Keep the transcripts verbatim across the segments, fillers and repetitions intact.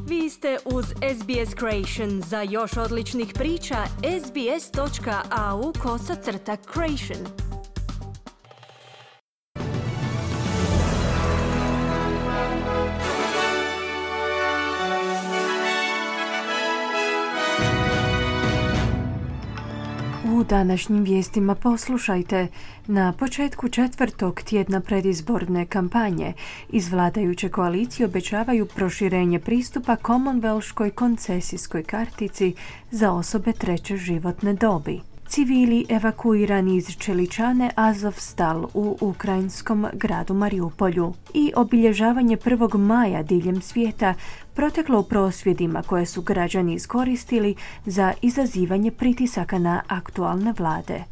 Vi ste uz S B S Creation. Za još odličnih priča, sbs.au kosacrta creation. U današnjim vijestima poslušajte. Na početku četvrtog tjedna predizborne kampanje iz vladajuće koalicije obećavaju proširenje pristupa Commonwealthskoj koncesijskoj kartici za osobe treće životne dobi. Civili evakuirani iz Čeličane Azovstal u ukrajinskom gradu Mariupolju i obilježavanje prvog maja diljem svijeta proteklo u prosvjedima koje su građani iskoristili za izazivanje pritisaka na aktualne vlade.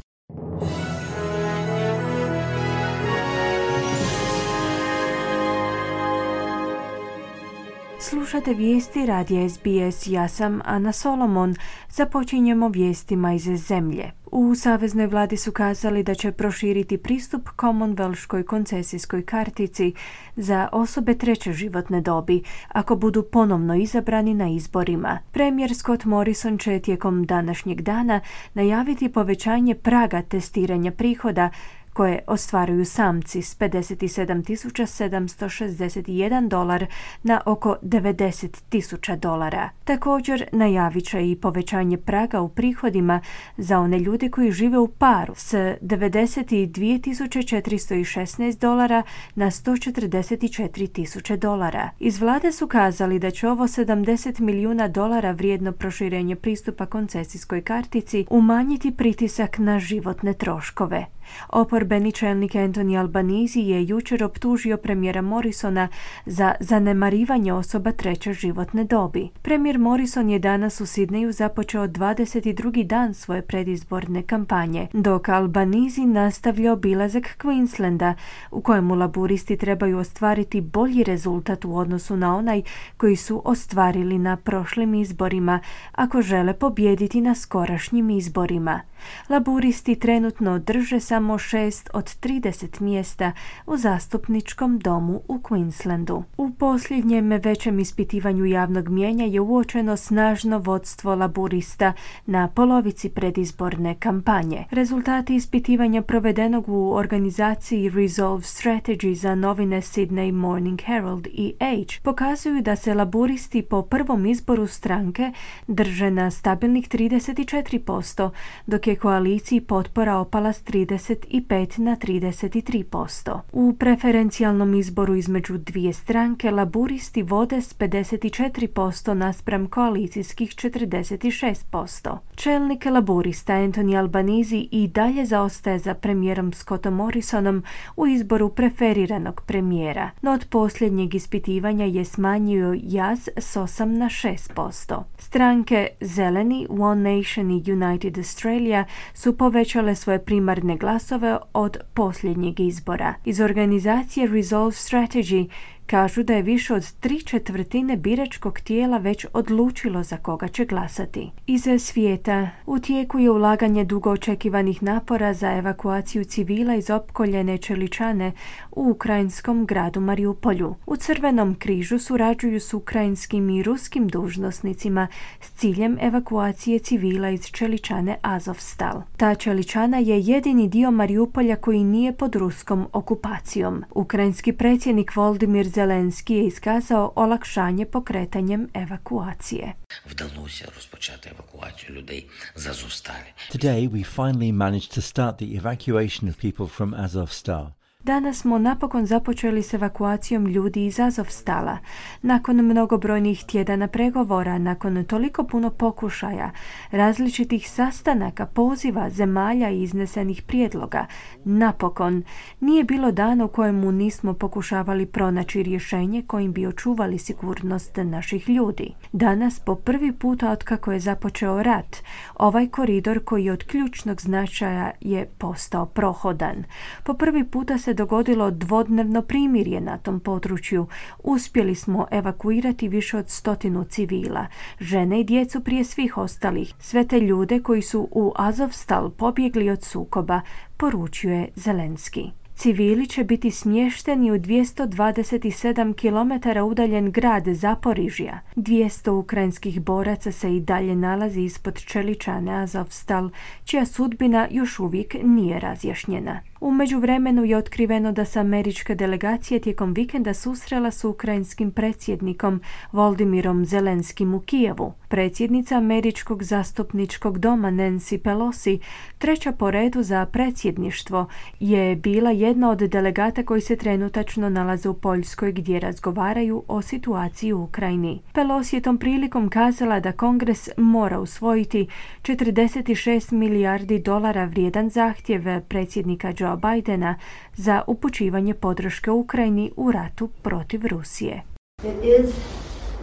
Slušate vijesti radija S B S, ja sam Ana Solomon. Započinjemo vijestima iz zemlje. U saveznoj vladi su kazali da će proširiti pristup Commonwealthskoj koncesijskoj kartici za osobe treće životne dobi ako budu ponovno izabrani na izborima. Premijer Scott Morrison će tijekom današnjeg dana najaviti povećanje praga testiranja prihoda koje ostvaruju samci s pedeset sedam tisuća sedamsto šezdeset jedan dolar na oko devedeset tisuća dolara. Također najavit će i povećanje praga u prihodima za one ljude koji žive u paru s devedeset dvije tisuće četiristo šesnaest dolara na sto četrdeset četiri tisuće dolara. Iz vlade su kazali da će ovo sedamdeset milijuna dolara vrijedno proširenje pristupa koncesijskoj kartici umanjiti pritisak na životne troškove. Oporbeni čelnik Anthony Albanese je jučer optužio premijera Morrisona za zanemarivanje osoba treće životne dobi. Premijer Morrison je danas u Sidneju započeo dvadeset drugi dan svoje predizborne kampanje, dok Albanese nastavlja obilazak Queenslanda, u kojemu laburisti trebaju ostvariti bolji rezultat u odnosu na onaj koji su ostvarili na prošlim izborima, ako žele pobijediti na skorašnjim izborima. Laburisti trenutno drže samo šest od trideset mjesta u zastupničkom domu u Queenslandu. U posljednjem većem ispitivanju javnog mijenja je uočeno snažno vodstvo laburista na polovici predizborne kampanje. Rezultati ispitivanja provedenog u organizaciji Resolve Strategy za novine Sydney Morning Herald i Age pokazuju da se laburisti po prvom izboru stranke drže na stabilnih trideset četiri posto, dok je koaliciji potpora opala s trideset pet na trideset tri posto. U preferencijalnom izboru između dvije stranke laburisti vode s pedeset četiri posto naspram koalicijskih četrdeset šest posto. Čelnik laburista Anthony Albanese i dalje zaostaje za premijerom Scottom Morrisonom u izboru preferiranog premijera, no od posljednjeg ispitivanja je smanjio jaz s osam na šest posto. Stranke Zeleni, One Nation i United Australia su povećale svoje primarne glasove od posljednjeg izbora. Iz organizacije Resolve Strategy kažu da je više od tri četvrtine biračkog tijela već odlučilo za koga će glasati. Iz svijeta u tijeku je ulaganje dugo očekivanih napora za evakuaciju civila iz opkoljene Čeličane u ukrajinskom gradu Mariupolju. U Crvenom križu surađuju s ukrajinskim i ruskim dužnosnicima s ciljem evakuacije civila iz Čeličane Azovstal. Ta Čeličana je jedini dio Mariupolja koji nije pod ruskom okupacijom. Ukrajinski predsjednik Volodymyr Zelenski je iskazao olakšanje pokretanjem evakuacije. Вдалося розпочати евакуацію людей з Азовсталі. Today we finally managed to start the evacuation of people from Azovstal. Danas smo napokon započeli s evakuacijom ljudi iz Azovstala. Nakon mnogobrojnih tjedana pregovora, nakon toliko puno pokušaja, različitih sastanaka, poziva, zemalja i iznesenih prijedloga, napokon nije bilo dana u kojemu nismo pokušavali pronaći rješenje kojim bi očuvali sigurnost naših ljudi. Danas, po prvi puta otkako je započeo rat, ovaj koridor koji je od ključnog značaja je postao prohodan. Po prvi puta se dogodilo dvodnevno primirje na tom području. Uspjeli smo evakuirati više od stotinu civila, žene i djecu prije svih ostalih, sve te ljude koji su u Azovstal pobjegli od sukoba, poručuje Zelenski. Civili će biti smješteni u dvjesto dvadeset sedam kilometara udaljen grad Zaporižja. dvjesto ukrajinskih boraca se i dalje nalazi ispod čeličane Azovstal, čija sudbina još uvijek nije razjašnjena. U međuvremenu je otkriveno da se američka delegacija tijekom vikenda susrela s ukrajinskim predsjednikom Voldimirom Zelenskim u Kijevu. Predsjednica američkog zastupničkog doma Nancy Pelosi, treća po redu za predsjedništvo, je bila jedna od delegata koji se trenutačno nalaze u Poljskoj gdje razgovaraju o situaciji u Ukrajini. Pelosi je tom prilikom kazala da Kongres mora usvojiti četrdeset šest milijardi dolara vrijedan zahtjev predsjednika Joe Bidena za upućivanje podrške Ukrajini u ratu protiv Rusije. It is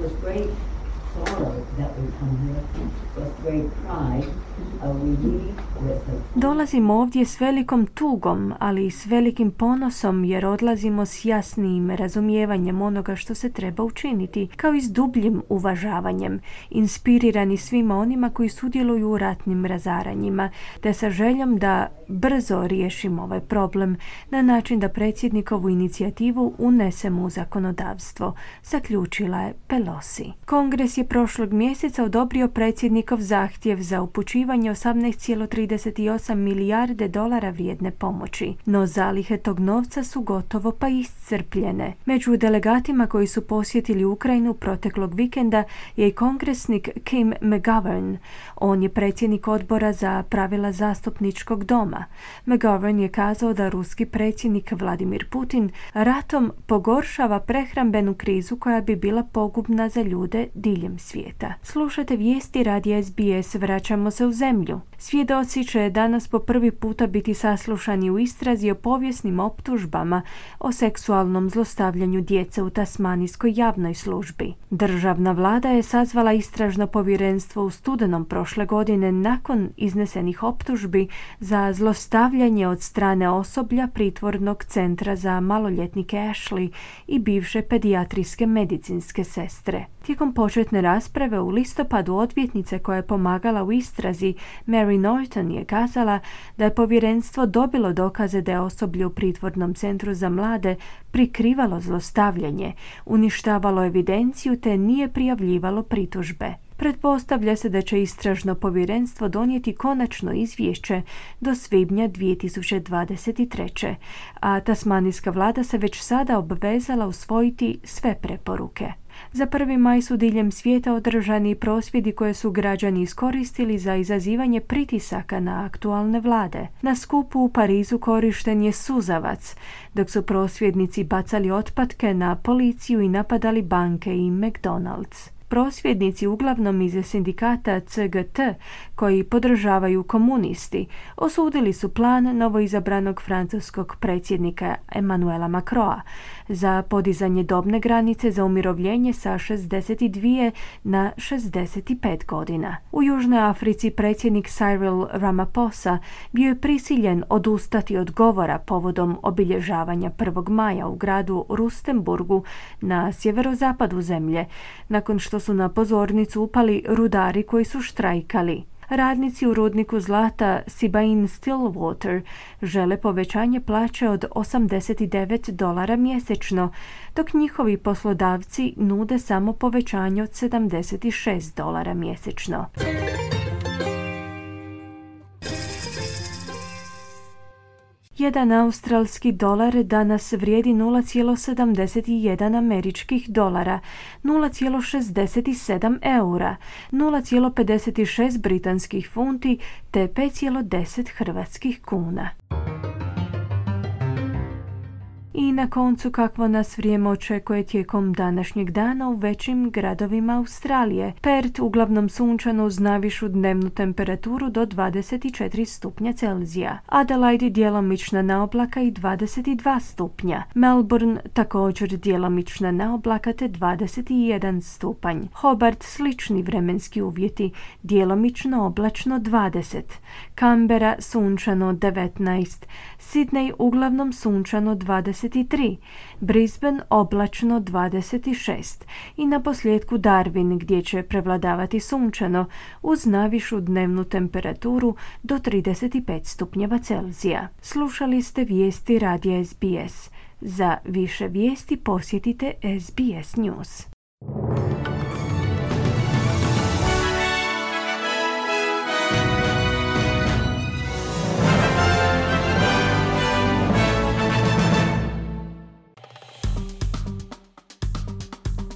with great sorrow that we come here, with great pride. Uh, we leave with a Dolazimo ovdje s velikom tugom, ali i s velikim ponosom jer odlazimo s jasnim razumijevanjem onoga što se treba učiniti, kao i s dubljim uvažavanjem, inspirirani svima onima koji sudjeluju u ratnim razaranjima, te sa željom da brzo riješimo ovaj problem na način da predsjednikovu inicijativu unesemo u zakonodavstvo, zaključila je Pelosi. Kongres je prošlog mjeseca odobrio predsjednikov zahtjev za upućivanje osamnaest zarez trideset osam milijarde dolara vrijedne pomoći, no zalihe tog novca su gotovo pa iscrpljene. Među delegatima koji su posjetili Ukrajinu proteklog vikenda je i kongresnik Kim McGovern. On je predsjednik odbora za pravila zastupničkog doma. McGovern je kazao da ruski predsjednik Vladimir Putin ratom pogoršava prehrambenu krizu koja bi bila pogubna za ljude diljem svijeta. Slušate vijesti radija S B S, vraćamo se u zemlju. Svjedoci će danas po prvi puta biti saslušani u istrazi o povijesnim optužbama o seksualnom zlostavljanju djece u tasmanijskoj javnoj službi. Državna vlada je sazvala istražno povjerenstvo u studenom prošle godine nakon iznesenih optužbi za zlostavljanje od strane osoblja pritvornog centra za maloljetnike Ashley i bivše pedijatrijske medicinske sestre. Tijekom početne rasprave u listopadu odvjetnice koja je pomagala u istrazi, Mary Norton, je kazala da je povjerenstvo dobilo dokaze da je osoblje u pritvornom centru za mlade prikrivalo zlostavljanje, uništavalo evidenciju te nije prijavljivalo pritužbe. Pretpostavlja se da će istražno povjerenstvo donijeti konačno izvješće do svibnja dvije tisuće dvadeset treće. a tasmanijska vlada se već sada obvezala usvojiti sve preporuke. Za prvi maj su diljem svijeta održani prosvjedi koje su građani iskoristili za izazivanje pritisaka na aktualne vlade. Na skupu u Parizu korišten je suzavac, dok su prosvjednici bacali otpatke na policiju i napadali banke i McDonald's. Prosvjednici, uglavnom iz sindikata C G T, koji podržavaju komunisti, osudili su plan novoizabranog francuskog predsjednika Emmanuela Macrona za podizanje dobne granice za umirovljenje sa šezdeset dvije na šezdeset pet godina. U Južnoj Africi predsjednik Cyril Ramaphosa bio je prisiljen odustati od govora povodom obilježavanja prvog maja u gradu Rustenburgu na sjeverozapadu zemlje, nakon što su na pozornicu upali rudari koji su štrajkali. Radnici u rudniku zlata Sibain Stillwater žele povećanje plaće od osamdeset devet dolara mjesečno, dok njihovi poslodavci nude samo povećanje od sedamdeset šest dolara mjesečno. Jedan australski dolar danas vrijedi nula zarez sedamdeset jedan američkih dolara, nula zarez šezdeset sedam eura, nula zarez pedeset šest britanskih funti te pet zarez deset hrvatskih kuna. I na koncu kakvo nas vrijeme očekuje tijekom današnjeg dana u većim gradovima Australije. Perth uglavnom sunčano uz najvišu dnevnu temperaturu do dvadeset četiri stupnja Celzija. Adelaide djelomična naoblaka i dvadeset dva stupnja. Melbourne također djelomična naoblaka te dvadeset jedan stupanj. Hobart slični vremenski uvjeti, djelomično oblačno dvadeset. Canberra sunčano devetnaest. Sydney uglavnom sunčano dvadeset dvadeset tri, Brisbane oblačno dvadeset šest i na posljedku Darwin gdje će prevladavati sunčano uz najvišu dnevnu temperaturu do trideset pet stupnjeva Celzija. Slušali ste vijesti radija S B S. Za više vijesti posjetite S B S News.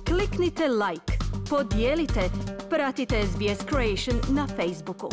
Kliknite like, podijelite, pratite S B S Creation na Facebooku.